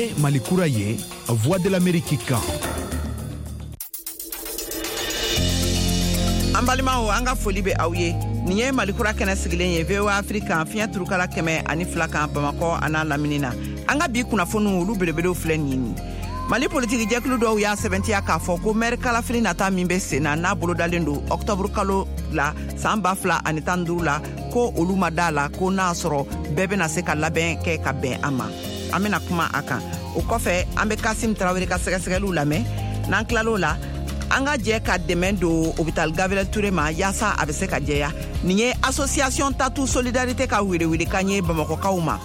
Nin ye Mali kura ye, Voix de l'Amérique kan. An balimaw, an ka foli bɛ aw ye. Nin ye Mali kura kɛnɛ sigilen ye VOA Afrique kan, fiɲɛ turukala 102 kan, Bamakɔ an'a lamini na. An ka bi kunnafoniw, olu belebelew filɛ nin ye. Mali politiki jɛkulu dɔw y'a sɛbɛntiya k'a fɔ ko mɛri kalafili nata min bɛ sen na, n'a bolodalen don ɔktɔburu kalo la san 2015 la, ko olu ma da la ko n'a sɔrɔ bɛɛ bɛna se ka labɛn kɛ ka bɛn a ma. An bɛna kuma a kan. O kɔfɛ, an bɛ Kasim Tarawele ka sɛgɛsɛgɛliw lamɛn. N'an tilal'o la, an ka jɛ ka dɛmɛ don hôpital Gabriel Touré ma yaasa a bɛ se ka jɛya. Nin ye association Tatu Solidarité ka welewelekan ye Bamakɔkaw ma.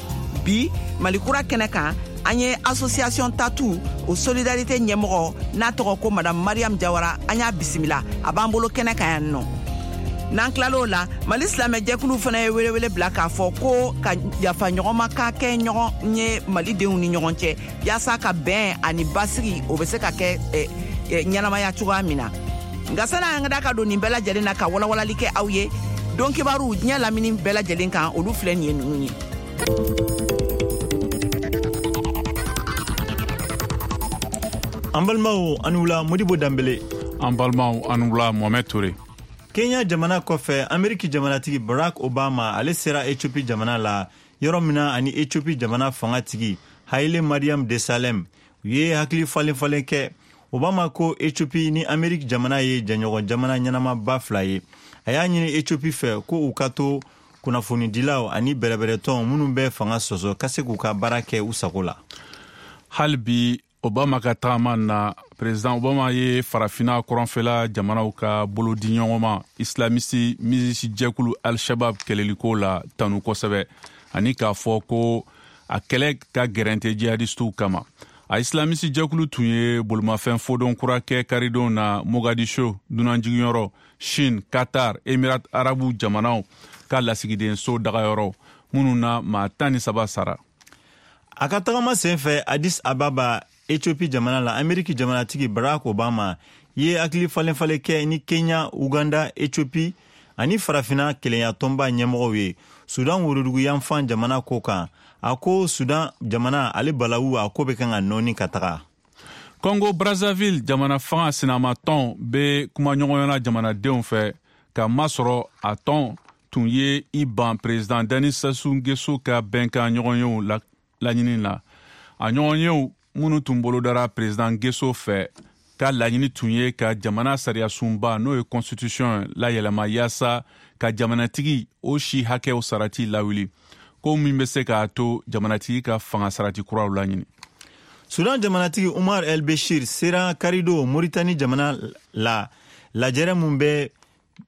Bi Malikura kɛnɛ kan, an ye association Tatu o Solidarité ɲɛmɔgɔ n'a tɔgɔ ko Madame Mariam Jawara, an y'a bisimila, a b'an bolo kɛnɛ kan yan nɔ. N'an tilal'o la, Mali silamɛjɛkulu fana ye welewele bila k'a fɔ ko ka yafa ɲɔgɔnma ka kɛ ɲɔgɔn ye malidenw ni ɲɔgɔn cɛ, yaasa ka bɛn ani basigi o bɛ se ka kɛ ɲɛnamaya cogoya min na. Nka sani an ka da ka don nin bɛɛ lajɛlen na ka walawalali kɛ aw ye, don kibaru diɲɛ lamini bɛɛ lajɛlen kan, olu filɛ nin ye ninnu ye. An balimaw, an wula. Modibo Danbele. An balimaw, an wula. Mohamɛd Ture. Kenya jamana kɔfɛ, Ameriki jamanatigi Barack Obama, ale sera Ethiopie jamana la, yɔrɔ min na ani Ethiopie jamana fangatigi Haile Mariam Desalegn u ye hakili falen falen kɛ. Obama ko Ethiopie ni Ameriki jamana ye jɛɲɔgɔn jamana ɲɛnamaba fila ye. A y'a ɲini Ethiopie fɛ ko u ka to kunnafonidilaw ani bɛrɛbɛrɛtɔn minnu bɛ fanga sɔsɔ ka se k'u ka baara kɛ u sago la. Hali bi Obama ka tagama na, président Obama ye Farafina kɔrɔnfɛla jamanaw ka bolodiɲɔgɔnma islamisi milisi jɛkulu Al-Shabab kɛlɛliko la tanu kosɛbɛ, ani k'a fɔ ko a kɛlɛ ka gɛrɛn tɛ jihadistiw kama. A islamisi jɛkulu tun ye bolimafɛn fodon kura kɛ karidon na Mogadiscio dunanjigiyɔrɔ, Chine, Qatar, Emirat Arabu jamanaw ka lasigidenso dagayɔrɔ minnu na maa 13 sara. A ka tagama sen fɛ Addis Ababa, Ethiopie jamana la, Ameriki jamanatigi Barack Obama ye hakili falen falen kɛ ni Kenya, Uganda, Ethiopie ani Farafina kelenya tɔnba ɲɛmɔgɔw ye Sudan worodugu yanfan jamana ko kan. A ko Sudan jamana ale balawu a ko bɛ kan ka nɔɔni ka taga. Congo Brazzaville jamana fanga sinamatɔn bɛ kumaɲɔgɔnya jamanadenw fɛ ka masɔrɔ a tɔn tun ye i ban président Denis Sassou Nguesso ka bɛnkan ɲɔgɔnyew laɲini la. A ɲɔgɔnyew minnu tun bolodara président Nguesso fɛ ka laɲini tun ye ka jamana sariyasunba, n'o ye constitution, layɛlɛma yaasa ka jamanatigi o si hakɛw sarati lawuli, ko min bɛ se k'a to jamanatigi ka fanga sarati kuraw laɲini. Sudan jamanatigi Umar El Beshir sera karido Moritani jamana la, lajɛrɛ mun bɛ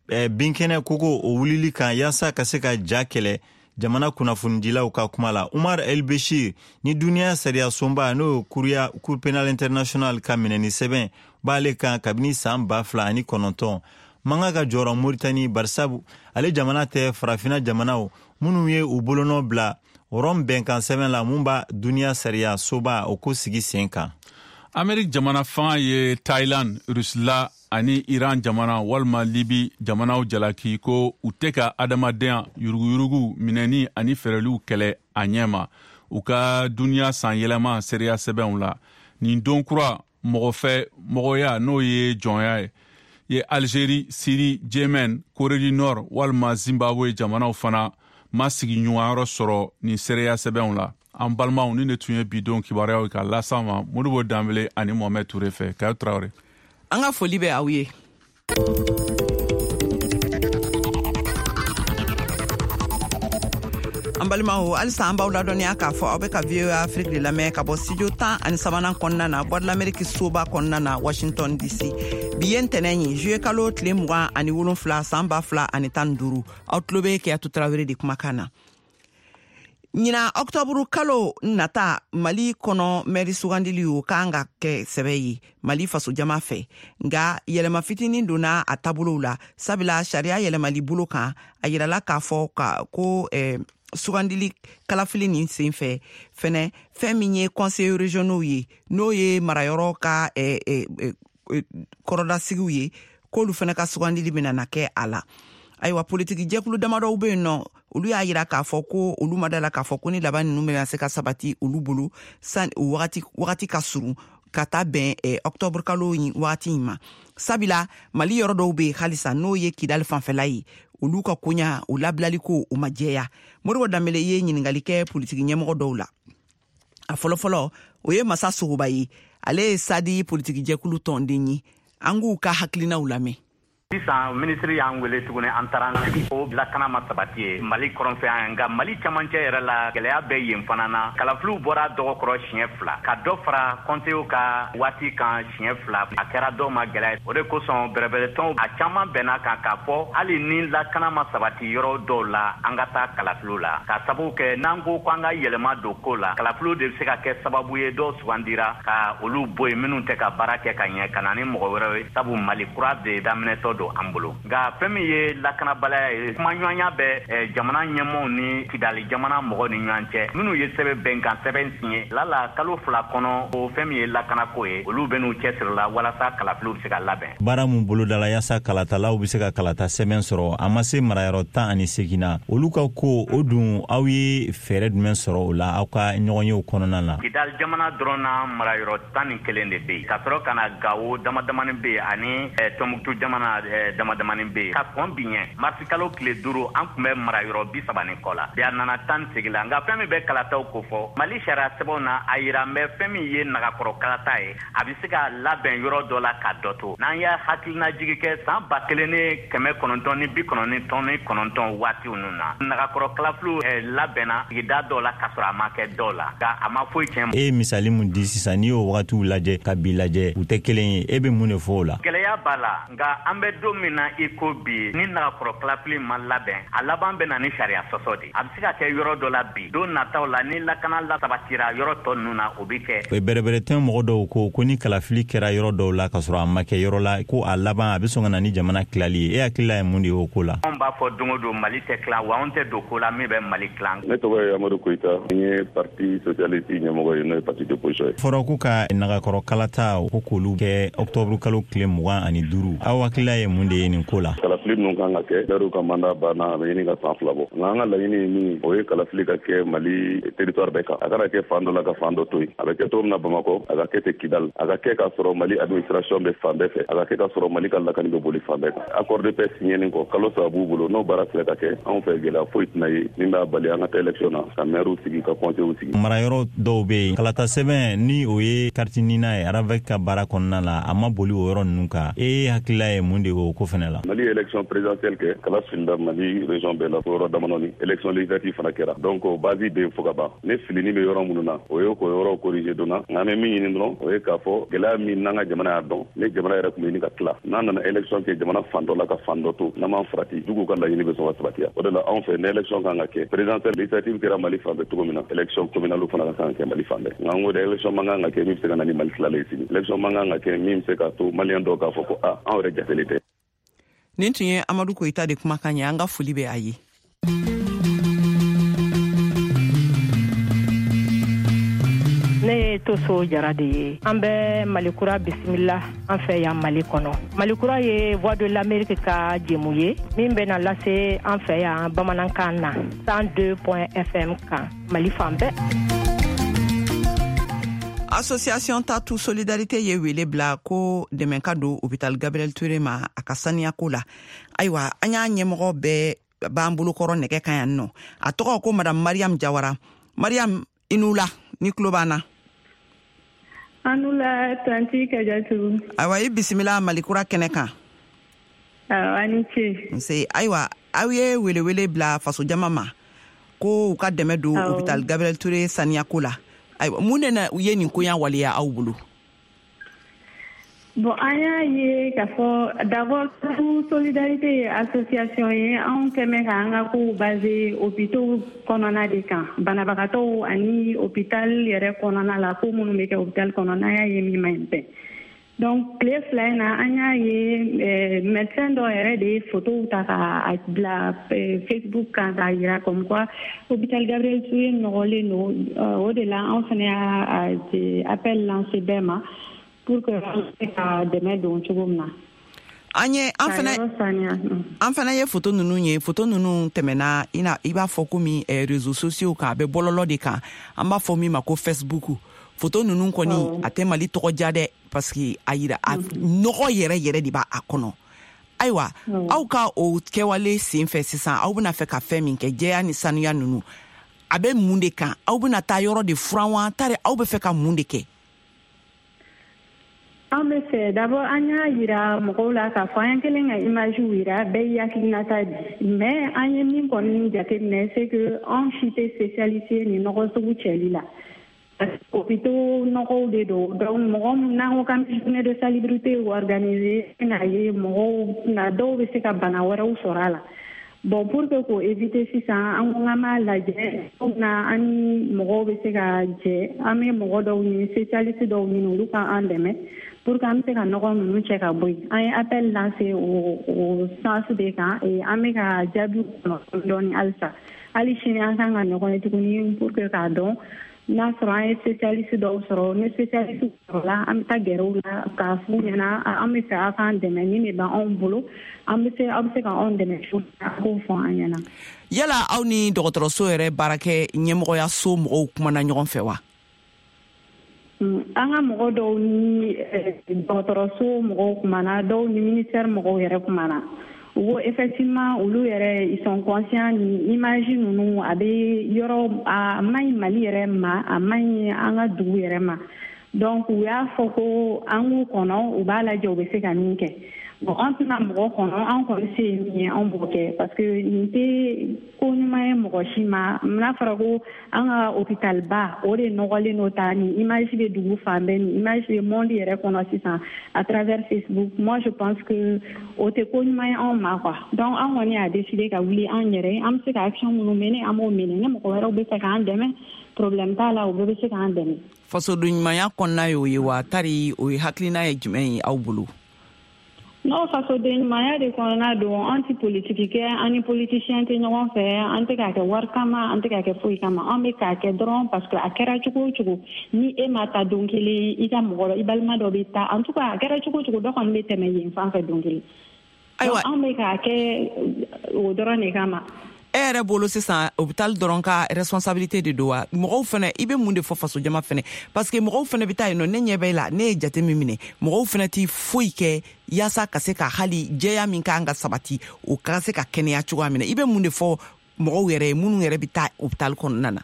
binkɛnɛ koko o wulili kan yaasa ka se ka ja kɛlɛ. Jamana kunnafonidilaw ka kuma la, Umar El Beshir ni duniya sariya sunba, n'o ye kuruya Cour pénale internationale ka minɛni sɛbɛn b'ale kan kabini saan 2009, man kan ka jɔrɔ Moritani, barisabu ale jamana tɛ Farafina jamanaw minnu ye u bolonɔ bila Rɔm bɛnkan sɛbɛn la mun b'a duniya sariya soba o ko sigi sen kan. Ameriki jamana fanga ye Thailand, Rusila ani Iran jamana walima Libi jamanaw jalaki ko u tɛ ka adamadenya yuruguyurugu minɛni ani fɛɛrɛliw kɛlɛ a ɲɛ ma u ka duniya san yɛlɛma seereya sɛbɛnw la. Nin don kura mɔgɔ fɛ mɔgɔya, n'o ye jɔnya ye, Algérie, Syrie, Yemen, Corée du Nord walima Zimbabwe jamanaw fana ma sigi ɲuman sɔrɔ nin seereya sɛbɛnw la. An balimaw, ni ne tun ye bidon kibaruyaw ka las'an ma Modibo Danbele ani Mohamɛd Ture fɛ. Kayo Tarawele. An ka foli bɛ aw ye. An balimaw, halisa an b'aw ladɔnniya k'a fɔ aw bɛ ka VOA Afrique de lamɛn ka bɔ studio 13nan kɔnɔna na, Voix de l'Amérique soba kɔnɔna na, Washington DC. Bi ye ntɛnɛn ye, juillet kalo tile 27, san 2015. Aw tulo bɛ Keyatu Tarawele de kumakan na. Ɲina ɔktɔburu kalo nata, Mali kɔnɔ mɛri sugandili o kan ka kɛ sɛbɛ ye Mali fasojama fɛ. Nga yɛlɛma fitinin donna a taabolow la, sabula sariya yɛlɛmali bolo kan, a yirala k'a fɔ ka ko sugandili kalafili nin sen fɛ fɛnɛ, fɛn min ye conseil régionaux ye, n'o ye marayɔrɔ ka kɔrɔdasigiw ye, k'olu fɛnɛ ka sugandili bɛna na kɛ a la. Ayiwa, politiki jɛkulu damadɔw bɛ yen nɔ, olu y'a yira k'a fɔ ko olu ma da la k'a fɔ ko ni laban ninnu bɛna se ka sabati olu bolo san o wagati ka surun ka taa bɛn octobre kalo in wagati in ma, sabula Mali yɔrɔ dɔw bɛ yen halisa, n'o ye Kidali fanfɛla ye, olu ka koɲa o labilali ko o ma jɛya. Moribo Danbele ye ɲininkali kɛ politiki ɲɛmɔgɔ dɔw la. A fɔlɔfɔlɔ, o ye Masa Sogoba ye, ale ye Sadi politiki jɛkulu tɔnden ye. An k'u ka hakilinaw lamɛn. Sisan minisiri y'an wele tuguni, an taara an sigi. O lakana ma sabati ye Mali kɔrɔnfɛ yan, nka Mali camancɛ yɛrɛ la, gɛlɛya bɛ yen fana na. Kalafiliw bɔra dɔgɔkɔrɔ siɲɛ fila, ka dɔ fara kɔnseyew ka waati kan siɲɛ fila, a kɛra dɔw ma gɛlɛya. O de kosɔn bɛrɛbɛrɛtɔnw a caman bɛnna kan k'a fɔ hali ni lakana ma sabati yɔrɔ dɔw la, an ka taa kalafiliw la, ka sababu kɛ n'an ko k'an ka yɛlɛma don ko la, kalafiliw de bɛ se ka kɛ sababu ye dɔw sugandira ka olu bɔ yen minnu tɛ ka baara kɛ ka ɲɛ, ka na ni mɔgɔ wɛrɛw ye, sabu Mali kura de daminɛtɔ don an bolo. Nka fɛn min ye lakanabaliya ye, kumaɲɔgɔnya bɛ jamana ɲɛmɔgɔw ni Kidali jamana mɔgɔw ni ɲɔgɔn cɛ minnu ye sɛbɛn bɛnkan sɛbɛn siɲɛ lala kalo 2 kɔnɔ. O fɛn min ye lakanako ye, olu bɛ n'u cɛsiri la walasa kalafiliw bɛ se ka labɛn. Baara mun bolodala yaasa kalatalaw bɛ se ka kalata sɛbɛn sɔrɔ, a ma se marayɔrɔ 18 na, olu ka ko o dun, aw ye fɛɛrɛ jumɛn sɔrɔ o la aw ka ɲɔgɔnyew kɔnɔna na? Kidali jamana dɔrɔn na, marayɔrɔ 11 de bɛ yen, ka sɔrɔ ka na Gawo dama damani bɛ yen, ani Tɔnbukutu jamana dama damani bɛ yen. Ka kɔn bi ɲɛ, marisi kalo tile 5, an tun bɛ marayɔrɔ 30 ni kɔ la, bi a nana 18 la. Nka fɛn min bɛ kalataw kofɔ Mali sariya sɛbɛnw na, a yira n bɛ fɛn min ye nagakɔrɔ kalata ye, a bɛ se ka labɛn yɔrɔ dɔ la ka dɔ to. N'an y'a hakilinajigi kɛ san 1999 waatiw ninnu na, nagakɔrɔ kalafiliw labɛnna sigida dɔw la ka sɔrɔ a ma kɛ dɔw la, nka a ma foyi tiɲɛ. E ye misali mun di sisan, n'i y'o wagatiw lajɛ ka bi lajɛ, u tɛ kelen ye. E bɛ mun de fɔ o la? Gɛlɛya b'a la, nka an bɛ don min na i ko bi, ni nagakɔrɔ kalafili ma labɛn, a laban bɛ na ni sariya sɔsɔ de. A bɛ se ka kɛ yɔrɔ dɔ la bi, don nataw la, ni lakana lasabatira yɔrɔ tɔ ninnu na, o bɛ kɛ. Bɛrɛbɛrɛtɔn mɔgɔ dɔw ko ko ni kalafili kɛra yɔrɔ dɔw la ka sɔrɔ a ma kɛ yɔrɔ la, ko a laban a bɛ sɔn ka na ni jamana tilali ye. E hakilila ye mun de ye o ko la? Anw b'a fɔ don o don, Mali tɛ tilan, wa anw tɛ don ko la min bɛ Mali tilan. Ne tɔgɔ ye Amadu Koyita, n ye Parti socialiste ɲɛmɔgɔ ye, n'o ye parti d'opposition ye. Fɔra ko ka nagakɔrɔ kalata ko k'olu kɛ octobre kalo tile 25. Aw hakilila ye mun de ye nin ko la? Kalafili ninnu kan ka kɛ, maires ka mandat banna, a bɛ ɲini ka san 2 bɔ. Nka an ka laɲini ye min, o ye kalafili ka kɛ Mali territoire bɛɛ kan, a kana kɛ fan dɔ la ka fan dɔ to yen. A bɛ kɛ cogo min na Bamakɔ, a ka kɛ ten Kidal, a ka kɛ k'a sɔrɔ Mali administration bɛ fan bɛɛ fɛ, a ka kɛ k'a sɔrɔ Mali ka lakani bɛ boli fan bɛɛ kan. Accord de paix signénin kɔ, kalo 3 b'u bolo, n'o baara sera ka kɛ, anw fɛ gɛlɛya foyi tɛna ye min b'a bali an ka taa élection na, ka maires sigi, ka conseils sigi. Marayɔrɔ dɔw bɛ yen, kalata sɛbɛn ni o ye carte NINA ye, RAVEC ka baara kɔnɔna la, a ma boli o yɔrɔ ninnu kan. E hakilila ye mun de ye o ko fɛnɛ la? Mali ye élection présidentielle kɛ, kala filila Mali région bɛɛ la fo yɔrɔ damadɔni. Élection législative fana kɛra, donc o base bɛ yen fo ka ban. Ne filini bɛ yɔrɔ minnu na, o ye k'o yɔrɔ corriger donna. Nka an bɛ min ɲini dɔrɔn, o ye k'a fɔ gɛlɛya min n'an ka jamana y'a dɔn, ne jamana yɛrɛ tun bɛ ɲini ka tila, n'a nana élection kɛ jamana fan dɔ la ka fan dɔ to, n'an m'an farati, juguw ka laɲini bɛ sɔn ka sabatiya. O de la anw fɛ, ni élection kan ka kɛ présidentielle, législative kɛra Mali fan bɛɛ cogo min na, élection communale fana ka kan ka kɛ Mali fan bɛɛ. Nka an ko dɛ, élection man kan ka kɛ min bɛ se ka na ni Mali tilalen ye sini, élection man kan ka kɛ min bɛ se k'a to maliyɛn dɔw k'a fɔ ko a anw yɛrɛ jatelen tɛ. Nin tun ye Amadu Koyita de kumakan ye. An ka foli bɛ a ye. Ne ye Toso Jara de ye. An bɛ Malikura bisimila an fɛ yan Mali kɔnɔ. Malikura ye Voix de l'Amérique ka jɛmu ye min bɛna lase an fɛ yan bamanankan na 102 FM kan Mali fan bɛɛ. Association Tatu Solidarité ye wele bila ko dɛmɛ ka don hôpital Gabriel Touré ma a ka saniyako la. Ayiwa, an y'a ɲɛmɔgɔ bɛɛ b'an bolokɔrɔ nɛgɛ kan yan nɔ. A tɔgɔ ko Madame Mariam Jawara. Mariam, i n'u la, ni tulo b'an na. An la, tantie Kajatu. Ayiwa, i bisimila Malikura kɛnɛ kan. Awɔ, ni ce. Nse. Ayiwa, aw ye welewele bila fasojama ma ko u ka dɛmɛ don hôpital Gabriel Touré saniyako la. Ayiwa, mun de na u ye nin koɲa waleya aw bolo? Bon, an y'a ye k'a fɔ d'abord Solidarité ye association ye, anw kɛmɛ k'an ka kow basé hôpitaux kɔnɔna de kan, banabagatɔw ani hôpital yɛrɛ kɔnɔna la, ko minnu bɛ kɛ hôpital kɔnɔ, n'an y'a ye min man ɲi bɛn. Donc tile 2 in na, an y'a ye médecin dɔ yɛrɛ de ye photow ta k'a bila Facebook kan k'a yira comme quoi hôpital Gabriel Touré nɔgɔlen don. O de la anw fana y'a appel lancé bɛɛ ma pour que an bɛ se ka dɛmɛ don cogo min na. An ye an fana an fana ye foto ninnu ye, foto ninnu tɛmɛna i b'a fɔ komi réseaux sociaux kan, a bɛ bɔlɔlɔ de kan, an b'a fɔ min ma ko Facebook. Foto ninnu kɔni, a tɛ Mali tɔgɔ diya dɛ, parce que a yira a nɔgɔ yɛrɛ yɛrɛ de b'a kɔnɔ. Ayiwa, aw ka o kɛwale sen fɛ sisan, aw bɛna fɛ ka fɛn min kɛ, jɛya ni sanuya ninnu, a bɛ mun de kan? Aw bɛna taa yɔrɔ de furan wa, tari aw bɛ fɛ ka mun de kɛ? An bɛ fɛ d'abord, an y'a yira mɔgɔw la k'a fɔ an kɛlen ka image yira, bɛɛ y'i hakilinata di. Mais an ye min kɔni jateminɛ, c'est que anw si tɛ spécialiste ye nin nɔgɔ sugu cɛli la. Hôpitaux nɔgɔw de don. Donc mɔgɔ min n'an ko k'an bɛ journée de salubrité organiser, n'a ye mɔgɔw na, dɔw bɛ se ka bana wɛrɛw sɔrɔ a la. Bon, pour que k'o éviter sisan, an ko k'an b'a lajɛ na, an ni mɔgɔw bɛ se ka jɛ, an bɛ mɔgɔ dɔw ɲini, spécialiste dɔw ɲini, olu ka an dɛmɛ pour que an bɛ se ka nɔgɔ ninnu cɛ ka bɔ yen. An ye appel lancer o sens de kan et an bɛ ka jaabiw kɔnɔ dɔɔni halisa. Hali sini an kan ka ɲɔgɔn ye tuguni pour que k'a dɔn n'a sɔrɔ an ye spécialiste dɔw sɔrɔ. Ni spécialiste sɔrɔla, an bɛ taa gɛrɛ u la k'a f'u ɲɛna an bɛ fɛ aw k'an dɛmɛ, nin de b'anw bolo, an bɛ se, aw bɛ se ka anw dɛmɛ cogo min na, a k'o fɔ an ɲɛna. Yala aw ni dɔgɔtɔrɔso yɛrɛ baarakɛ ɲɛmɔgɔyaso mɔgɔw kumana ɲɔgɔn fɛ wa? An ka mɔgɔ dɔw ni dɔgɔtɔrɔso mɔgɔw kumana, dɔw ni ministère mɔgɔw yɛrɛ kumana. U ko effectivement, olu yɛrɛ, ils sont conscients, ni image ninnu a bɛ yɔrɔ, a man ɲi Mali yɛrɛ ma, a man ɲi an ka dugu yɛrɛ ma. Donc u y'a fɔ ko an k'u kɔnɔ, u b'a lajɛ u bɛ se ka min kɛ. Bon, an tɛna mɔgɔ kɔnɔ, an kɔni se ye min ye, an b'o kɛ, parce que nin tɛ ko ɲuman ye mɔgɔ si ma. N'a fɔra ko an ka hôpital ba o de nɔgɔlen don ta, nin image bɛ dugu fan bɛɛ, nin image bɛ monde yɛrɛ kɔnɔ sisan à travers Facebook, moi je pense que o tɛ ko ɲuman ye anw ma quoi. Donc an kɔni y'a décidé ka wuli an yɛrɛ ye, an bɛ se ka action minnu mener, an b'o mener. Ni mɔgɔ wɛrɛw bɛ fɛ k'an dɛmɛ, problème t'a la, u bɛɛ bɛ se k'an dɛmɛ. Fasoden ɲumanya kɔnɔna y'o ye wa, tari o ye hakilina ye jumɛn ye aw bolo? N'o fasoden ɲumanya de kɔnɔna don, an tɛ politiki kɛ, an ni politicien tɛ ɲɔgɔn fɛ, an tɛ k'a kɛ wari kama, an tɛ k'a kɛ foyi kama. An bɛ k'a kɛ dɔrɔn parce que a kɛra cogo o cogo, ni e ma taa don kelen, i ka mɔgɔ, i balima dɔ bɛ taa. En tout cas, a kɛra cogo o cogo, dɔ kɔni bɛ tɛmɛ yen fan fɛ don kelen. Ayiwa, an bɛ k'a kɛ o dɔrɔn de kama. E yɛrɛ bolo sisan, hôpital dɔrɔn ka responsabilité de don wa, mɔgɔw fɛnɛ, i bɛ mun de fɔ fasojama fɛnɛ? Parce que mɔgɔw fɛnɛ bɛ taa yen nɔ, ne ɲɛ bɛ la, ne ye jate min minɛ, mɔgɔw fɛnɛ ti foyi kɛ yaasa ka se ka hali jɛya min kan ka sabati, o ka se ka kɛnɛya cogoya min na. I bɛ mun de fɔ mɔgɔw yɛrɛ ye, minnu yɛrɛ bɛ taa hôpital kɔnɔna na?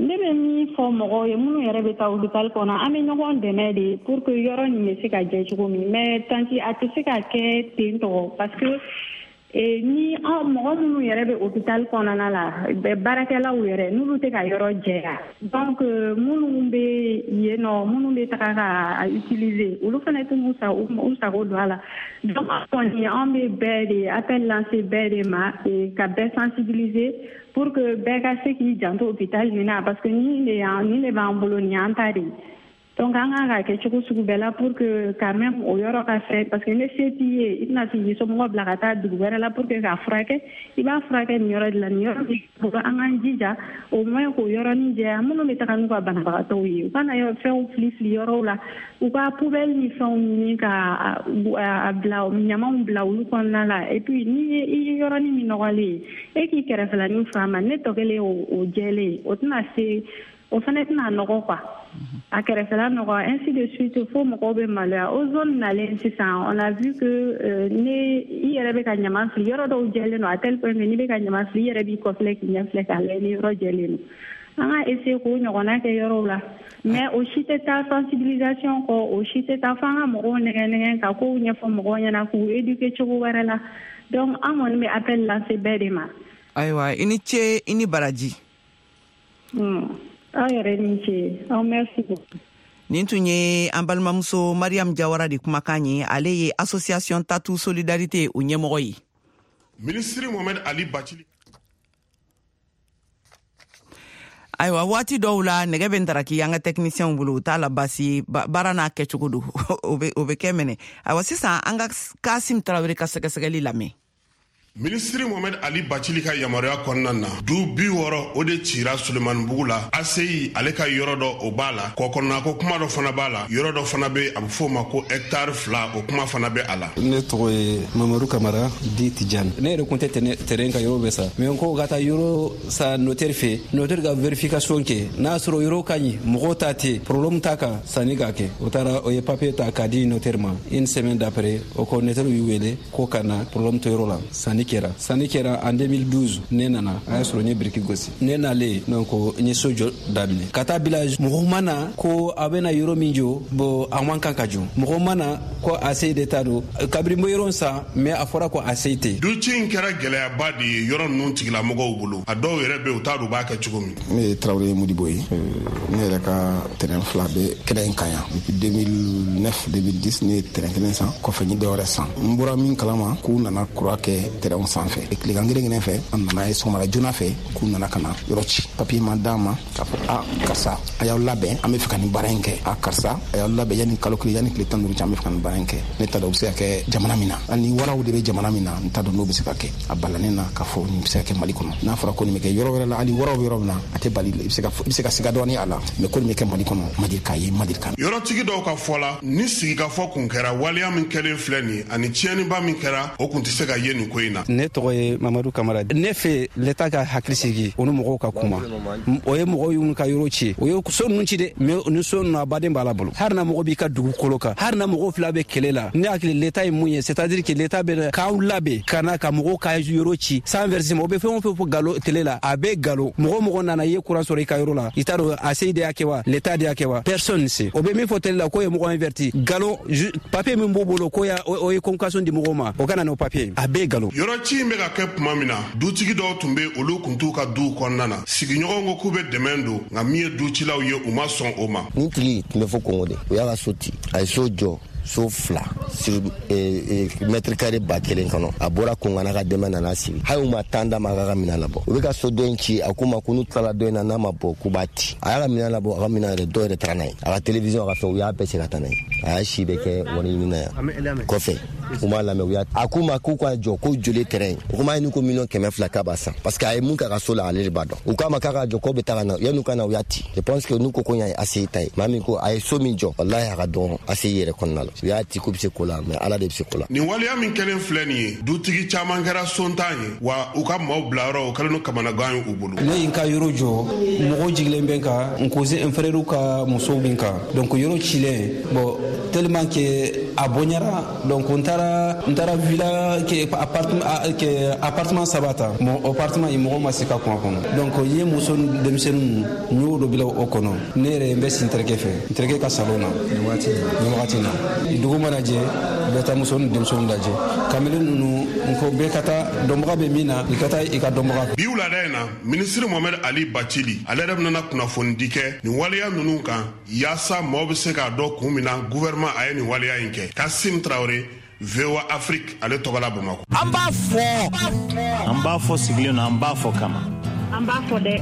Ne bɛ min fɔ mɔgɔw ye, minnu yɛrɛ bɛ taa hôpital kɔnɔ, an bɛ ɲɔgɔn dɛmɛ de pour que yɔrɔ nin bɛ se ka jɛ cogo min. Mais tantie, a tɛ se ka kɛ ten tɔgɔ, parce que ni mɔgɔ minnu yɛrɛ bɛ hôpital kɔnɔna la, baarakɛlaw yɛrɛ, n'olu tɛ ka yɔrɔ jɛya, donc minnu bɛ yen nɔ, minnu bɛ taga ka utiliser, olu fana tɛ u sago don a la. Donc kɔni an bɛ bɛɛ de appel lancer, bɛɛ de ma, ka bɛɛ sensibiliser pour que bɛɛ ka se k'i janto hôpital nin na, parce que nin de y'an, nin de b'an bolo, nin y'an ta de ye. Donc an kan ka kɛ cogo sugu bɛɛ la pour que quand même o yɔrɔ ka fɛ, parce que ne se t'i ye, i tɛna se k'i somɔgɔ bila ka taa dugu wɛrɛ la pour que k'a furakɛ. I b'a furakɛ nin yɔrɔ de la, nin yɔrɔ b'i bolo, an k'an jija au moins k'o yɔrɔnin jɛya. Minnu bɛ taga n'u ka banabagatɔw ye, u kana fɛnw fili fili yɔrɔw la, u ka poubelle ni fɛnw ɲini ka a bila, ɲamanw bila olu kɔnɔna la. Et puis ni i ye yɔrɔnin min nɔgɔlen ye, e k'i kɛrɛfɛlanin furan ma, ne tɔ kelen o jɛlen, o tɛna se, o fana tɛna nɔgɔ quoi, a kɛrɛfɛla nɔgɔ, ainsi de suite, fo mɔgɔw bɛ maloya. O zone nalen sisan, on a vu que ne i yɛrɛ bɛ ka ɲaman fili, yɔrɔ dɔw jɛlen don à tel point que n'i bɛ ka ɲaman fili, i yɛrɛ b'i kɔfilɛ k'i ɲɛ filɛ k'a lajɛ ni yɔrɔ jɛlen don. An ka essayer k'o ɲɔgɔnna kɛ yɔrɔw la, mais o si tɛ taa sensibilisation kɔ, o si tɛ taa f'an ka mɔgɔw nɛgɛ nɛgɛ ka kow ɲɛfɔ mɔgɔw ɲɛna, k'u éduquer cogo wɛrɛ la. Donc an kɔni bɛ appel lancer bɛɛ de ma. Ayiwa, i ni ce, i ni baraji. Aw yɛrɛ ni ce, aw merci beaucoup. Nin tun ye an balimamuso Mariam Jawara de kumakan ye, ale ye association Tatu Solidarité o ɲɛmɔgɔ ye. Minisiri Mohamed Ali Bacili. Ayiwa, waati dɔw la nɛgɛ bɛ ntaraki an ka technicien bolo, u t'a la baasi ye, baara n'a kɛcogo don, o bɛ kɛ mɛnɛ. Ayiwa, sisan an ka Kasim Tarawele ka sɛgɛsɛgɛli lamɛn. Minisiri Mohamed Ali Bacili ka yamaruya kɔnɔna na, du 60 o de cira Sulemanibugu la. ACI ale ka yɔrɔ dɔ o b'a la, kɔkɔnɔna ko kuma dɔ fana b'a la, yɔrɔ dɔ fana bɛ a bɛ f'o ma ko hectare 2, o kuma fana bɛ a la. Ne tɔgɔ ye Mamadu Kamara di Tijani. Ne yɛrɛ kun tɛ terrain kan yɔrɔ bɛ sa, mais n ko ka taa yɔrɔ sa notaire fɛ, notaire ka vérification kɛ, n'a sɔrɔ yɔrɔ ka ɲi, mɔgɔw ta tɛ, problème t'a kan, sanni k'a kɛ. O taara o ye papier ta k'a di notaire ma. Une semaine d'après, o ko notaire y'u wele ko ka na problème tɛ yɔrɔ la, sanni kɛra. Sanni kɛra en 2012, ne nana a y'a sɔrɔ n ye biriki gosi. Ne nalen donc n ye so jɔ daminɛ ka taa bila. Mɔgɔ ma na ko a bɛna yɔrɔ min jɔ, bon a man kan ka jɔ. Mɔgɔ ma na ko ACI de ta don. Kabiri n bɛ yɔrɔ san, mais a fɔra ko ACI tɛ. Duci in kɛra gɛlɛyaba de ye yɔrɔ ninnu tigilamɔgɔw bolo. A dɔw yɛrɛ bɛ yen, u t'a dɔn u b'a kɛ cogo min. Ne ye Tarawele Modibo ye. Ne yɛrɛ ka terrain 2 bɛ kɛnɛ in kan yan. Depuis 2009 2010, ne ye terrain kelen san, kɔfɛ n ye dɔwɛrɛ san. N bɔra min kalama, k'u nana kura kɛ terrain sanfɛ. Tilegan kelen kelen fɛ, an nana ye sɔgɔmada joona fɛ k'u nana ka na yɔrɔ ci. Papier ma d'an ma k'a fɔ a karisa a y'aw labɛn, an bɛ fɛ ka nin baara in kɛ. A karisa a y'aw labɛn, yanni kalo kelen, yanni tile 15 cɛ, an bɛ fɛ ka nin baara in kɛ. Ne t'a dɔn o bɛ se ka kɛ jamana min na, hali ni waraw de bɛ jamana min na, n t'a dɔn n'o bɛ se ka kɛ. A balannen na k'a fɔ nin bɛ se ka kɛ Mali kɔnɔ. N'a fɔra ko nin bɛ kɛ yɔrɔ wɛrɛ la, hali waraw bɛ yɔrɔ min na, a tɛ bali, i bɛ se ka siga dɔɔni a la, mais ko nin bɛ kɛ Mali kɔnɔ, ma deli k'a ye, ma deli k'a. Yɔrɔtigi dɔw ka fɔ la, ni sigikafɔ kun kɛra, waleya min kɛlen filɛ nin ani tiɲɛniba min kɛra, o kun tɛ se ka ye nin ko in na. Ne tɔgɔ ye Mamadu Kamara. Ne fɛ l'État ka hakili sigi, o ni mɔgɔw ka kuma. O ye mɔgɔw y'u ka yɔrɔ ci, o ye so ninnu ci dɛ, mais ni so ninnu a baden b'a la bolo. Hali na mɔgɔ b'i ka dugukolo kan, hali na mɔgɔw fila bɛ kɛlɛ la, ne hakili l'État ye mun ye, c'est à dire que l'État bɛ k'aw labɛn ka na ka mɔgɔw ka yɔrɔ ci sans versement. O bɛ fɛn o fɛn fɔ galo télé la, a bɛ galo. Mɔgɔ mɔgɔ nana i ye courant sɔrɔ i ka yɔrɔ la, i t'a dɔn ACI de y'a kɛ wa, l'État de y'a kɛ wa, personne ne sait. O bɛ min fɔ télé la k'o ye mɔgɔ inverti, galo. Papier min b'u bolo ko o ye convocation di mɔgɔw ma, o ka na n'o papier, a bɛɛ galo. Yɔrɔ ci in bɛ ka kɛ tuma min na, dutigi dɔw tun bɛ, olu kun t'u ka duw kɔnɔna na. Sigiɲɔgɔnw ko k'u bɛ dɛmɛ don, nka min ye ducilaw ye, u ma sɔn o ma. Nin tigi tun bɛ fɔ Kongo de, o y'a ka so ci, a ye so jɔ so 2 sur mètre carré 1000 kɔnɔ. A bɔra Kongo n'a ka dɛmɛ nana sigi, hali u ma tan d'a ma a ka minɛn labɔ. U bɛ ka so dɔ in ci, a k'u ma ko n'u tilala dɔ in na, n'a ma bɔ k'u b'a ci. A y'a ka minɛn labɔ, a ka minɛn yɛrɛ dɔw yɛrɛ taara n'a ye, a ka télévision, a ka fɛn, u y'a bɛɛ cɛ ka taa n'a ye. A y'a si bɛɛ kɛ wari ɲini na yan kɔfɛ, u m'a lamɛn. U y'a a k'u ma k'u ka jɔ ko joli terrain, o kuma ye n'u ko 200 millions k'a b'a san, parce que a ye mun k'a ka so la, ale de b'a dɔn. U k'a ma k'a ka jɔ k'o bɛ taa ka na, yan'u ka na u y'a ci. Je pense que n'u ko ko ɲa ye ACI ta ye, maa min ko a ye so min jɔ, walahi a ka dɔgɔn ACI yɛrɛ kɔnɔna la. U y'a ci k'u bɛ se ko la, mais Ala de bɛ se ko la. Nin waleya min kɛlen filɛ nin ye, dutigi caman kɛra sontan ye wa, u ka maaw bilayɔrɔ o kɛlen don kamanagan ye u bolo. Ne ye n ka yɔrɔ jɔ, mɔgɔw jigilen bɛ n kan, n cousin, n frère ka musow bɛ n kan, donc yɔrɔ cilen, bon tellement que a bonyara, donc n taara villa ke appartement ke appartement 3 ta. Bon, appartement in mɔgɔ ma se ka kun a kɔnɔ, donc n ye muso ni denmisɛnnin ninnu, n y'o dɔ bila o kɔnɔ. Ne yɛrɛ n bɛ si n terikɛ fɛ, n terikɛ ka salon na nin wagati in na. Dugu mana jɛ, n bɛ taa muso ni denmisɛnninw lajɛ. Kamalen ninnu, n ko bɛɛ ka taa dɔnbaga bɛ min na, i ka taa i ka dɔnbaga. Bi wulada in na, minisiri Mohamed Ali Bacili ale yɛrɛ bɛna kunnafonidi kɛ nin waleya ninnu kan, yaasa maaw bɛ se k'a dɔn kun min na gouvernement a ye nin waleya in kɛ. Kasim Traoré, VOA Afrique ale tɔgɔ la Bamakɔ. An b'a fɔ, an b'a fɔ sigilen don, an b'a fɔ kama. An b'a fɔ dɛ.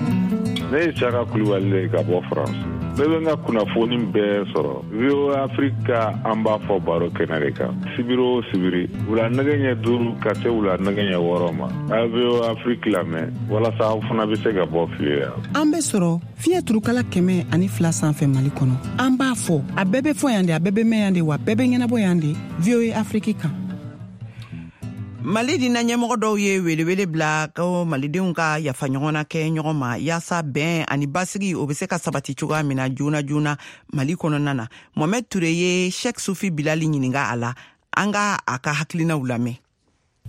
Ne ye Saka Kulubali de ye ka bɔ France. Ne bɛ n ka kunnafoni bɛɛ sɔrɔ VOA Afrique ka an b'a fɔ baro kɛnɛ de kan, sibiri o sibiri, wula nɛgɛ ɲɛ 5 ka se wula nɛgɛ ɲɛ 6 ma. A ye VOA Afrique lamɛn walasa aw fana bɛ se ka bɔ fili la. An bɛ sɔrɔ fiɲɛ turukala 102 sanfɛ Mali kɔnɔ. An b'a fɔ, a bɛɛ bɛ fɔ yan de, a bɛɛ bɛ mɛn yan de, wa bɛɛ bɛ ɲɛnabɔ yan de, VOA Afrique kan. Mali dina ɲɛmɔgɔ dɔw ye welewele bila ko malidenw ka yafa ɲɔgɔn na kɛ ɲɔgɔn ma, yaasa bɛn ani basigi o bɛ se ka sabati cogoya min na joona joona Mali kɔnɔna na. Mohamed Ture ye Sheikh Sufi Bilali ɲininka a la, an ka a ka hakilinaw lamɛn.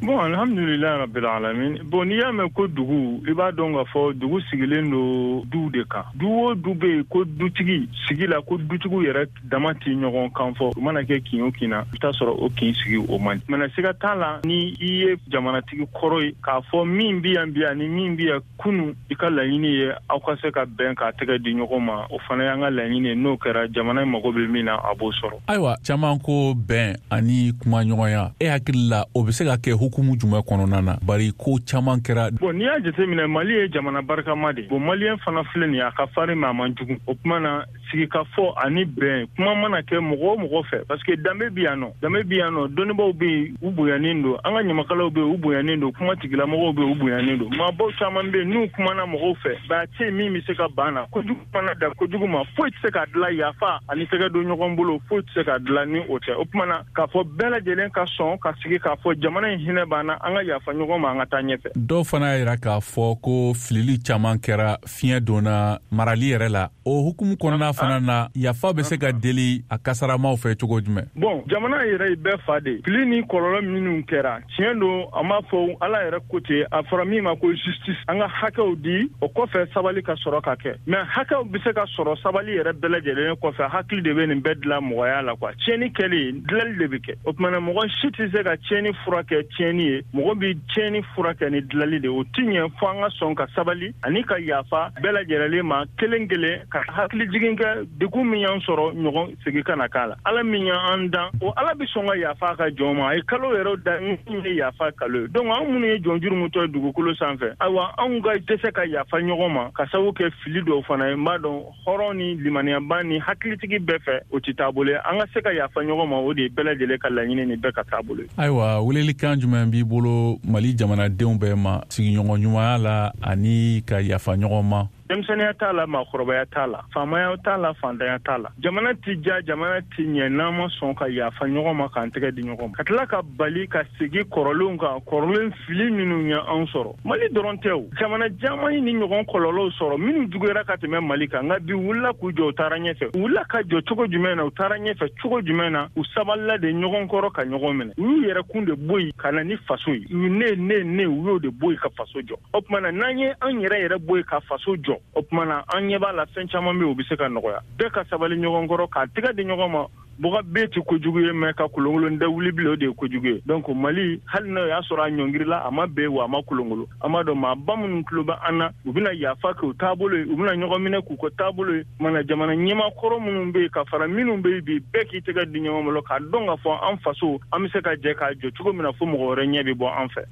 Bon, alhamdulillah rabbil alamin. Bon, n'i y'a mɛn ko dugu, i b'a dɔn k'a fɔ dugu sigilen don duw de kan. Du o du bɛ yen ko dutigi sigi la, ko dutigiw yɛrɛ dama tɛ ɲɔgɔn kan fɔ. U mana kɛ kin o kin na, i bɛ taa sɔrɔ o kin sigi o man di. Mana siga t'a la, ni i ye jamanatigi kɔrɔ ye, k'a fɔ min bɛ yan bi ani min bɛ yan kunu, i ka laɲini ye aw ka se ka bɛn k'a tɛgɛ di ɲɔgɔn ma, o fana y'an ka laɲini ye. N'o kɛra, jamana in mago bɛ min na, a b'o sɔrɔ. Ayiwa, caman ko bɛn ani kumaɲɔgɔnya, e hakili la o bɛ se ka kɛ hukumu jumɛn kɔnɔna na, bari ko caman kɛra? Bon, n'i y'a jateminɛ, Mali ye jamana barikama de. Bon, maliyɛn fana filɛ nin ye, a ka farin mais a man jugu. O tuma na, Sigikafɔ ani bɛn, kuma mana kɛ mɔgɔ o mɔgɔ fɛ, parce que danbe bɛ yan nɔ, danbe bɛ yan nɔ, dɔnnibaaw bɛ yen, u bonyanen don, an ka ɲamakalaw bɛ yen, u bonyanen don, kuma tigilamɔgɔw bɛ yen, u bonyanen don, maabaw caman bɛ yen n'u kumana mɔgɔw fɛ, ba tɛ yen min bɛ se ka ban na. Kojugu mana dan kojugu ma, foyi tɛ se ka dilan yafa ani tɛgɛ don ɲɔgɔn bolo, foyi tɛ se ka dilan ni o tɛ. O tuma na k'a fɔ bɛɛ lajɛlen ka sɔn ka sigi k'a fɔ jamana in hinɛ b'an na, an ka yafa ɲɔgɔn ma, an ka taa ɲɛfɛ. Dɔw fana y'a yira k'a fɔ ko filili caman kɛra, fiɲɛ donna marali yɛrɛ la. O hukumu kɔnɔna fana na, yafa bɛ se ka deli a kasaramaw fɛ cogo jumɛn? Bon, jamana yɛrɛ ye bɛɛ fa de. Fili ni kɔlɔlɔ minnu kɛra, tiɲɛ don, an b'a fɔ Ala yɛrɛ ko ten, a fɔra min ma ko justice, an ka hakɛw di, o kɔfɛ sabali ka sɔrɔ ka kɛ. Mais hakɛw bɛ se ka sɔrɔ sabali yɛrɛ bɛɛ lajɛlen kɔfɛ. Hakili de bɛ nin bɛɛ dilan mɔgɔya la quoi. Tiɲɛni kɛlen, dilali de bɛ kɛ. O tuma na mɔgɔ si tɛ se ka tiɲɛni furakɛ tiɲɛni ye, mɔgɔ bɛ tiɲɛni furakɛ ni dilali de. O ti ɲɛ fo an ka sɔn ka sabali ani ka yafa bɛɛ lajɛlen ma kelen kelen, ka hakili jigin kɛ degun min y'an sɔrɔ, ɲɔgɔn segin kana k'a la. Ala min y'an dan, o Ala bɛ sɔn ka yafa a ka jɔn ma. A ye kalo yɛrɛ da min ye yafa kalo ye. Donc anw minnu ye jɔn jurumutɔ ye dugukolo sanfɛ, ayiwa, anw ka dɛsɛ ka yafa ɲɔgɔn ma ka sababu kɛ fili dɔw fana ye, n b'a dɔn hɔrɔn ni limaniyaba ni hakilitigi bɛɛ fɛ, o tɛ taabolo ye. An ka se ka yafa ɲɔgɔn ma, o de ye bɛɛ lajɛlen ka laɲini ni bɛɛ ka taabolo ye. Ayiwa, welelikan jumɛn b'i bolo Mali jamanadenw bɛɛ ma sigiɲɔgɔn ɲumanya la ani ka yafa ɲɔgɔn ma? Denmisɛnninya t'a la, maakɔrɔbaya t'a la, faamaya t'a la, fantanya t'a la. Jamana tɛ ja, jamana tɛ ɲɛ n'an ma sɔn ka yafa ɲɔgɔn ma, k'an tɛgɛ di ɲɔgɔn ma, ka tila ka bali ka segin kɔrɔlenw kan, kɔrɔlen fili minnu ye anw sɔrɔ. Mali dɔrɔn tɛ o, jamana caman ye nin ɲɔgɔn kɔlɔlɔw sɔrɔ minnu juguyara ka tɛmɛ Mali kan, nka bi wulila k'u jɔ, u taara ɲɛfɛ. U wulila ka jɔ cogo jumɛn na? U taara ɲɛfɛ cogo jumɛn na? U sabalila de ɲɔgɔn kɔrɔ ka ɲɔgɔn minɛ. U y'u yɛrɛkun de bɔ yen ka na ni faso ye. U ne ne ne, u y'o de bɔ yen ka faso jɔ. O tuma na n'an ye an yɛrɛ yɛrɛ bɔ yen ka faso jɔ, o tuma na an ɲɛ b'a la fɛn caman bɛ yen, o bɛ se ka nɔgɔya. Bɛɛ ka sabali ɲɔgɔn kɔrɔ, k'a tɛgɛ di ɲɔgɔn ma. Bɔgɔ bɛɛ tɛ kojugu ye, mais ka kolonkolon da wuli bilen, o de ye kojugu ye. Donc Mali, hali n'o y'a sɔrɔ a ɲɔngirila, a ma bɛn wa a ma kolonkolon, an b'a dɔn maaba minnu tulo bɛ an na, u bɛna yafa k'u taabolo ye, u bɛna ɲɔgɔn minɛ k'u ka taabolo ye. Mana jamana ɲɛmaa kɔrɔ minnu bɛ yen ka fara minnu bɛ yen bi, bɛɛ k'i tɛgɛ di ɲɔgɔn bolo k'a dɔn k'a fɔ an faso, an bɛ se ka jɛ k'a jɔ cogo min na fo mɔgɔ wɛrɛ ɲɛ bɛ bɔ an fɛ.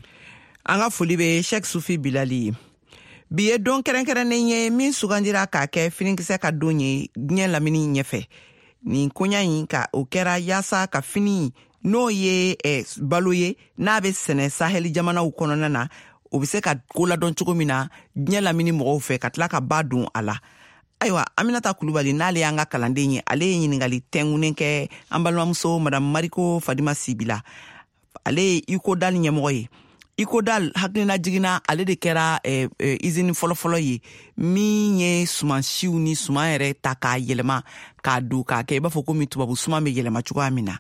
An ka foli bɛ Sheikh Sufi Bilali ye. Bi ye don kɛrɛnkɛrɛnnen ye min sugandira k'a kɛ finikisɛ ka don ye diɲɛ lamini ɲɛfɛ. Nin koɲa in ka o kɛra yaasa ka fini, n'o ye balo ye n'a bɛ sɛnɛ Sahɛli jamanaw kɔnɔna na, o bɛ se ka koladɔn cogo min na diɲɛ lamini mɔgɔw fɛ, ka tila ka ba don a la. Ayiwa, Aminata Kulubali, n'ale y'an ka kalanden ye, ale ye ɲiningali tɛngunnen kɛ an balimamuso Madame Mariko Fadima Sibi la. Ale ye Ikodal ɲɛmɔgɔ ye. Ikodal hakilina jiginna, ale de kɛra izini fɔlɔfɔlɔ ye min ye sumansiw ni suman yɛrɛ ta k'a yɛlɛma k'a don k'a kɛ i b'a fɔ komi tubabu suman bɛ yɛlɛma cogoya min na.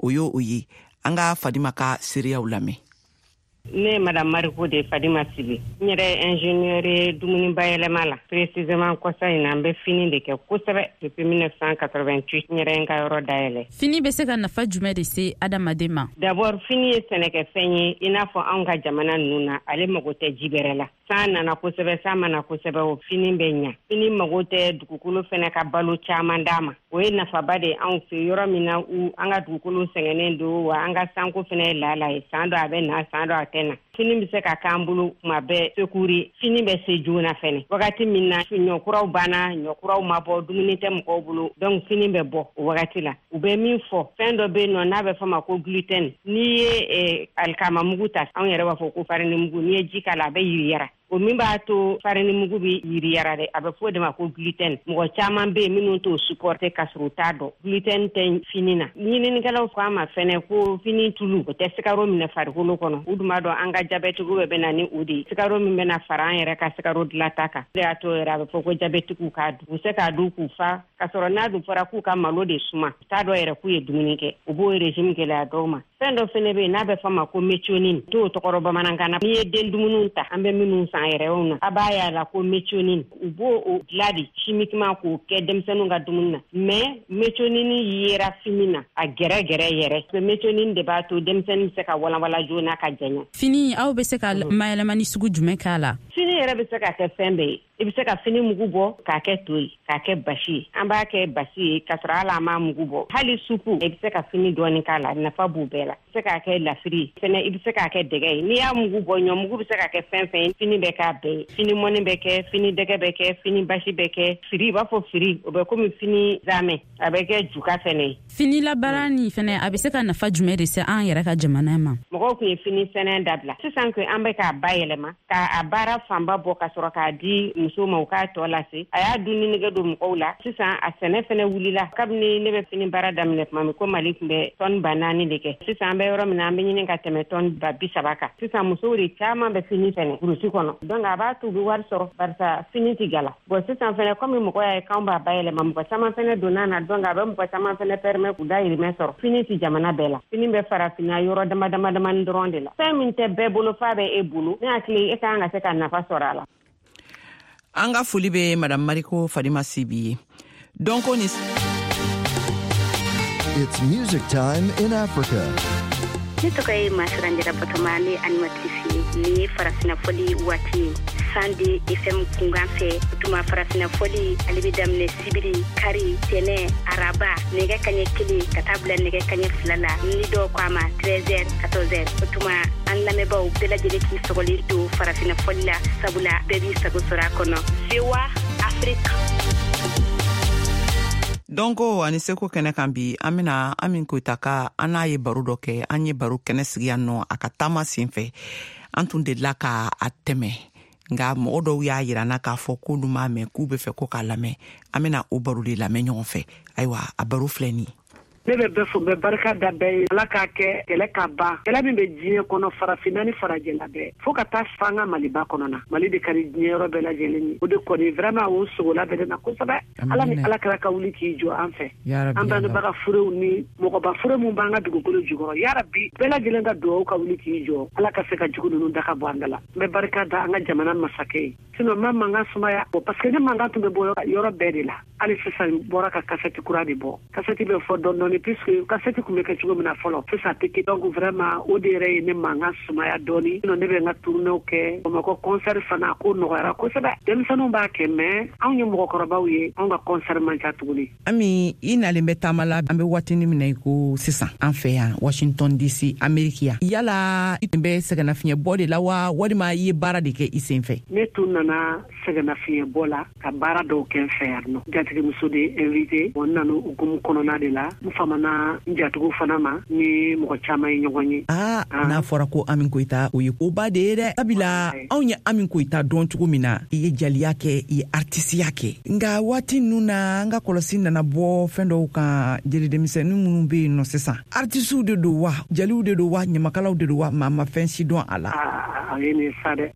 O y'o o ye. An ka Fadima ka seereyaw lamɛn. Ne ye Madame Mariko de Fadima Sibi. N yɛrɛ ye ingénieur ye dumuni bayɛlɛma la. Précisément, kɔsa in na, n bɛ fini de kɛ kosɛbɛ depuis 1988. N yɛrɛ ye n ka yɔrɔ dayɛlɛ. Fini bɛ se ka nafa jumɛn de se adamaden ma? D'abord, fini ye sɛnɛkɛfɛn ye. I n'a fɔ anw ka jamana ninnu na, ale mago tɛ ji bɛrɛ la. San nana kosɛbɛ, san ma na kosɛbɛ, o fini bɛ ɲa. Fini mago tɛ dugukolo fɛnɛ ka balo caman d'a ma. O ye nafaba de ye anw fɛ yɔrɔ min na, u an ka dugukolo sɛgɛnnen don wa an ka sanko fɛnɛ ye laala ye. San dɔ a bɛ na, san dɔ a tɛ na. Fini bɛ se ka k'an bolo kuma bɛɛ secours ye. Fini bɛ se joona fɛnɛ wagati min na ɲɔkuraw banna, ɲɔkuraw ma bɔ, dumuni tɛ mɔgɔw bolo, donc fini bɛ bɔ o wagati la. U bɛ min fɔ, fɛn dɔ bɛ yen nɔ n'a bɛ fɔ ma ko gluten. N'i ye alikama mugu ta, anw yɛrɛ b'a fɔ ko farini mugu, n'i ye ji k'a la, a bɛ yiriyara. O min b'a to farini mugu bɛ yiriyara dɛ, a bɛ fɔ o de ma ko gluten. Mɔgɔ caman bɛ yen minnu t'o supporter ka sɔrɔ u t'a dɔn gluten tɛ fini na. Ɲininikɛlaw ko a ma fɛnɛ ko fini tulu, o tɛ sikaro minɛ farikolo kɔnɔ. U dun b'a dɔn an ka jabɛtigiw bɛɛ bɛ na ni o de ye, sikaro min bɛna fara an yɛrɛ ka sikaro dilanta kan. O de y'a to yɛrɛ a bɛ fɔ ko jabɛtigiw k'a dun, u bɛ se k'a dun k'u fa, ka sɔrɔ n'a dun fɔra k'u ka malo de suma, u t'a dɔn yɛrɛ k'u ye dumuni kɛ. U b'o régime gɛlɛya dɔw ma. Fɛn dɔ fɛnɛ bɛ yen n'a bɛ fɔ ma ko méthionine, t'o tɔgɔ bamanankan na. N'i ye den dumuniw ta, an bɛ minnu san yɛrɛw na, a b'a y'a la ko méthionine, u b'o o dilan de chimiquement k'o kɛ denmisɛnninw ka dumuni na. Mais méthionine yera fini na a gɛrɛ gɛrɛ yɛrɛ. Méthionine de b'a to denmisɛnnin bɛ se ka walanwala joona ka janya. Fini, aw bɛ se ka mayɛlɛmani sugu jumɛn k'a la? Fini yɛrɛ. yɛrɛ bɛ se ka kɛ fɛn bɛɛ ye. I bɛ se ka fini mugu bɔ k'a kɛ to ye, k'a kɛ basi ye. An b'a kɛ basi ye k'a sɔrɔ hali an m'a mugu bɔ. Hali supu, i bɛ se ka fini dɔɔni k'a la, nafa b'o bɛɛ la. I bɛ se k'a kɛ lafiri ye fɛnɛ, i bɛ se k'a kɛ dɛgɛ ye. N'i y'a mugu bɔ, ɲɔmugu bɛ se ka kɛ fɛn fɛn ye, fini bɛ k'a bɛɛ ye. Fini mɔni bɛ kɛ, fini dɛgɛ bɛ kɛ, fini basi bɛ kɛ, firi, i b'a fɔ firi, o bɛ komi fini zamɛ, a bɛ kɛ juga fɛnɛ ye. Fini labaara nin fɛnɛ, a bɛ se ka nafa jumɛn de se an yɛrɛ ka jamana ma? Mɔgɔw tun ye fini sɛnɛ dabila. Sisan ko an bɛ k'a bayɛlɛma, k'a baara fanba bɔ ka sɔrɔ k'a di musow ma u k'a tɔ lase. A y'a dunni nege don mɔgɔw la. Sisan a sɛnɛ fɛnɛ wulila. Kabini ne bɛ fini baara daminɛ tuma min, ko Mali tun bɛ tɔni 4000 de kɛ. Sisan an bɛ yɔrɔ min na, an bɛ ɲini ka tɛmɛ tɔni 30 000 kan. Sisan musow de caman bɛ fini sɛnɛ burusi kɔnɔ. Donc a b'a to u bɛ wari sɔrɔ barisa fini tɛ gala. Bon sisan fɛnɛ komi mɔgɔ y'a ye k'anw b'a bayɛlɛma, mɔgɔ caman fɛnɛ donna na, donc a bɛ mɔgɔ caman fɛnɛ permet k'u dayirimɛ sɔrɔ. Fini tɛ jamana bɛɛ la, fini bɛ farafinna yɔrɔ dama dama damani dɔrɔn de la. Fɛn min tɛ bɛɛ bolo f'a bɛ e bolo, ne hakili e ka kan ka se ka nafa sɔrɔ a la. An ka foli bɛ Madame Mariko Fadima Sibi ye. Dɔnko ni It's music time in Africa. Ne tɔgɔ ye Masiranjara Batoma, ne animatrice ye. Nin ye farafinna fɔli waati ye 102 FM kunkan fɛ. O tuma farafinna fɔli ale bɛ daminɛ sibiri, kari, tɛnɛ, araba, nɛgɛ kaɲɛ 1 ka taa bila nɛgɛ kaɲɛ 2 la, ni dɔw ko a ma 13h 14h. O tuma an lamɛnbaaw bɛɛ lajɛlen k'i sɔgɔlen to farafinna fɔli la, sabula bɛɛ b'i sago sɔrɔ a kɔnɔ. VOA Afrique. Dɔnko ani seko kɛnɛ kan bi, an bena Ami Koyita ka an n'a ye baro dɔ kɛ. An ye baro kɛnɛ sigi yan nɔ a ka taama sen fɛ. An tun delila ka a tɛmɛ, nka mɔgɔ dɔw y'a yira n na k'a fɔ k'olu m'a mɛn, k'u bɛ fɛ ko k'a lamɛn. An bena o baro de lamɛn ɲɔgɔn fɛ. Ayiwa, a baro filɛ nin ye. Ne bɛ bɛɛ fo, bɛ barika da bɛɛ ye. Ala k'a kɛ kɛlɛ ka ban, kɛlɛ min bɛ diɲɛ kɔnɔ, farafinna ni farajɛla bɛɛ, fo ka taa fo an ka Maliba kɔnɔ na. Mali de ka di diɲɛ yɔrɔ bɛɛ lajɛlen ye. O de kɔni vraiment o sogola bɛ ne na kosɛbɛ. Ala ni Ala kɛra ka wuli k'i jɔ an fɛ, an bangebaga furew ni mɔgɔba fure min b'an ka dugukolo jukɔrɔ, yarabi bɛɛ lajɛlen ka dugawu ka wuli k'i jɔ, Ala ka se ka jugu ninnu da ka bɔ an da la. N bɛ barika da an ka jamana masakɛ ye. Sinon n ma mankan sumaya, parce que ne mankan tun bɛ bɔ yɔrɔ bɛɛ de la. Hali sisan bɔra ka kasɛti kura de bɔ. Kasɛti bɛ fɔ dɔɔni dɔɔni, puisque kasɛti tun bɛ kɛ cogo min na fɔlɔ, sisan tɛ kɛ. Donc vraiment o de yɛrɛ ye ne mankan sumaya dɔɔni. Sinon ne bɛ n ka tournéew kɛ Bamakɔ, concert fana ko nɔgɔyara kosɛbɛ. Denmisɛnninw b'a kɛ, mais anw ye mɔgɔkɔrɔbaw ye, anw ka concert man ca tuguni. Ami, i nalen bɛ taama la. An bɛ waatini min na i ko sisan, an fɛ yan Washington DC, Ameriki yan, yala i tun bɛ sɛgɛnnafiɲɛbɔ de la wa, walima i ye baara de kɛ i sen fɛ? Ne tun nana sɛgɛnnafiɲɛbɔ la ka baara dɔw kɛ n fɛ yan nɔ. Jatigimuso de invité, bon n nana hukumu kɔnɔna de la. N famana n jatigiw fana ma ni mɔgɔ caman ye ɲɔgɔn ye. Aa, n'a fɔra ko Ami Koyita, o ye koba de ye dɛ, sabula anw ye Ami Koyita dɔn cogo min na, i ye jaliya kɛ, i ye artisiya kɛ, nka waati ninnu na an ka kɔlɔsi nana bɔ fɛn dɔw kan. Jeli denmisɛnnin minnu bɛ yen nɔ sisan, artisiw de don wa, jaliw de don wa, ɲamakalaw de don wa, maa ma fɛn si dɔn a la.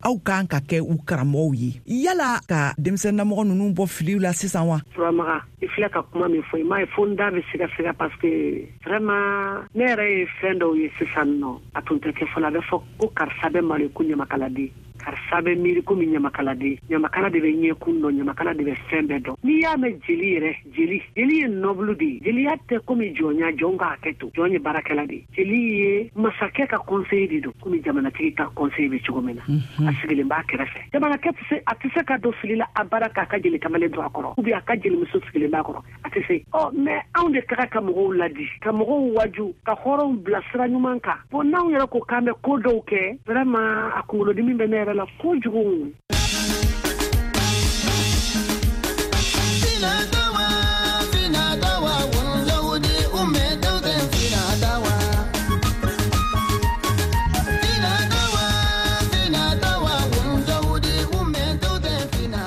Aw kan ka kɛ u karamɔgɔw ye, yala ka denmisɛnninamɔgɔ ninnu bɔ filiw la sisan wa? Turamaga, i filɛ ka kuma min fɔ, i m'a ye fo n da bɛ sigasɛgɛ, parce que vraiment ne yɛrɛ ye fɛn dɔw ye sisan nɔ, a tun tɛ kɛ fɔlɔ. A bɛ fɔ ko karisa bɛ malo ko ɲamakaladen, karisa bɛ miiri komi ɲamakaladen, ɲamakala de bɛ ɲɛkun dɔn, ɲamakala de bɛ fɛn bɛɛ dɔn. N'i y'a mɛn jeli yɛrɛ, jeli, jeli ye noble de ye. Jeliya tɛ komi jɔnya, jɔn k'a kɛ to, jɔn ye baarakɛla de ye. Jeli ye masakɛ ka conseiller de don, komi jamanatigi ka conseiller bɛ cogo min na. A sigilen b'a kɛrɛfɛ. Jamanakɛ tɛ se, a tɛ se ka don fili la a baara k'a ka jeli kamalen to a kɔrɔ, ou bien a ka jelimuso sigilen b'a kɔrɔ, a tɛ se. Ɔ mais anw de ka kan ka mɔgɔw ladi, ka mɔgɔw waju, ka hɔrɔnw bila sira ɲuman kan. Bon n'anw yɛrɛ ko k'an bɛ ko dɔw kɛ, vraiment a kunkolodimi bɛ ne yɛrɛ la kojugu.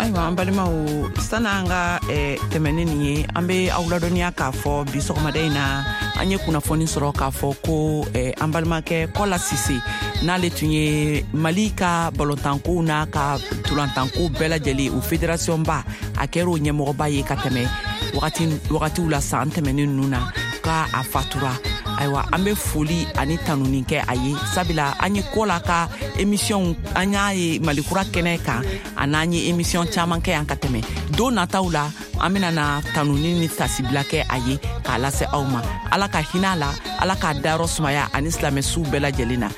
Ayiwa, an balimaw, san'an ka tɛmɛ ni nin ye, an be aw ladɔnniya k'a fɔ bi sɔgɔmada in na, an ye kunnafoni sɔrɔ k'a fɔ ko an balimakɛ Kɔla Sise, n'ale tun ye Mali ka balontankow n'a ka tolantankow bɛɛ lajɛlen o fédération ba, a kɛra o ɲɛmɔgɔba ye ka tɛmɛ wagatiw la san tɛmɛnen ninnu na, ka a fatura. Ayiwa, an be foli ani tanuni kɛ a ye, sabula an ye Kɔla ka émission, an y'a ye Malikura kɛnɛ kan, a n'an ye émission caman kɛ yan ka tɛmɛ. Don nataw la, an bena na tanuni ni tasibila kɛ a ye k'a lase aw ma. Ala ka hinɛ a la, Ala k'a dayɔrɔ sumaya ani silamɛsuw bɛɛ lajɛlen na.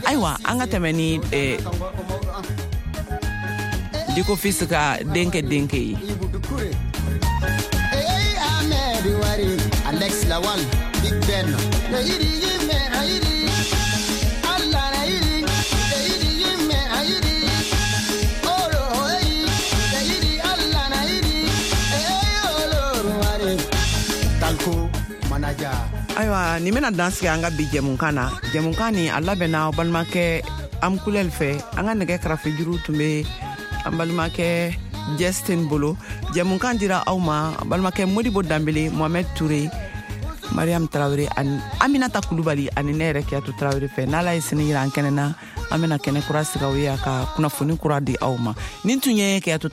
Ayiwa, an ka tɛmɛ ni Diko Fils ka denkɛ denkɛ ye. Alex Lawal, Big Ben. Ayiwa, nin bɛna dan sigi an ka bi jɛmukan na. Jɛmukan nin a labɛnna aw balimakɛ Amkulɛl fɛ. An ka nɛgɛ karafejuru tun bɛ an balimakɛ Justin bolo. Jɛmukan dira aw ma balimakɛ Modibo Danbele, Mohamed Toure, Mariam Tarawele ani Aminata Kulubali ani ne yɛrɛ Kiyatu Tarawele fɛ. N'Ala ye sini yira an kɛnɛ na, an bɛna kɛnɛ kura sigi aw ye a ka kunnafoni kura di aw ma. Nin tun ye Kiyatu.